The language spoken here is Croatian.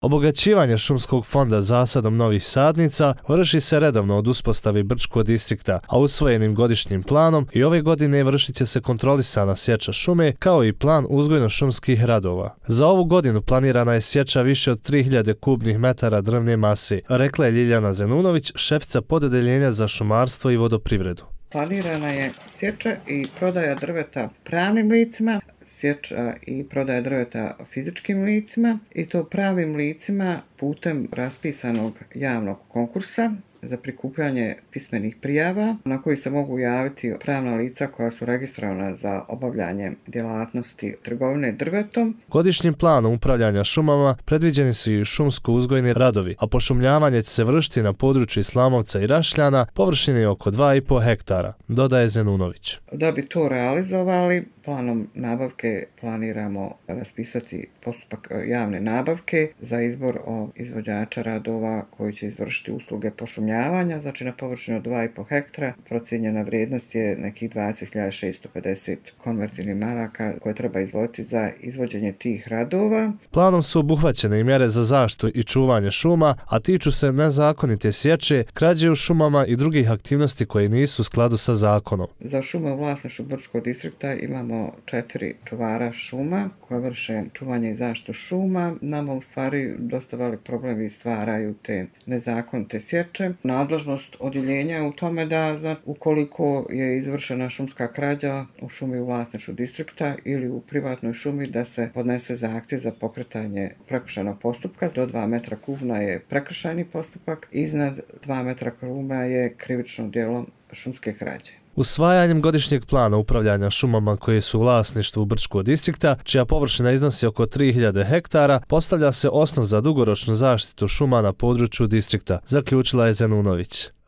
Obogaćivanje šumskog fonda zasadom novih sadnica vrši se redovno od uspostave Brčkog distrikta, a usvojenim godišnjim planom i ove godine vršit će se kontrolisana sječa šume kao i plan uzgojno-šumskih radova. Za ovu godinu planirana je sječa više od 3000 kubnih metara drvne mase, rekla je Ljiljana Zenunović, šefica pododeljenja za šumarstvo i vodoprivredu. Planirana je sječa i prodaja drveta pravnim licima, sječa i prodaja drveta fizičkim licima i to pravim licima putem raspisanog javnog konkursa za prikupljanje pismenih prijava na koji se mogu javiti pravna lica koja su registrovana za obavljanje djelatnosti trgovine drvetom. Godišnjim planom upravljanja šumama predviđeni su i šumsko-uzgojni radovi, a pošumljavanje će se vršiti na području Islamovca i Rašljana površine oko 2,5 hektara, dodaje Zenunović. Da bi to realizovali, planom nabavke planiramo raspisati postupak javne nabavke za izbor izvođača radova koji će izvršiti usluge pošumljavanja, znači na površinu od 2,5 hektara. Procijenjena vrijednost je nekih 20.650 konvertibilnih maraka koje treba izdvojiti za izvođenje tih radova. Planom su obuhvaćene i mjere za zaštitu i čuvanje šuma, a tiču se nezakonite sječe, krađe u šumama i drugih aktivnosti koje nisu u skladu sa zakonom. Za šume u vlasništvu Brčkog distrikta imamo 4 čuvara šuma koja vrše čuvanje i zaštitu šuma. Nama u stvari dosta velik problem stvaraju te nezakonite sječe. Nadležnost odjeljenja je u tome da ukoliko je izvršena šumska krađa u šumi u vlasništvu distrikta ili u privatnoj šumi da se podnese zahtjev za pokretanje prekršajnog postupka. Do 2 metra kubna je prekršajni postupak, iznad 2 metra kubna je krivično djelo šumske krađe. Usvajanjem godišnjeg plana upravljanja šumama koje su u vlasništvu Brčkog distrikta, čija površina iznosi oko 3000 hektara, postavlja se osnov za dugoročnu zaštitu šuma na području distrikta, zaključila je Zenunović.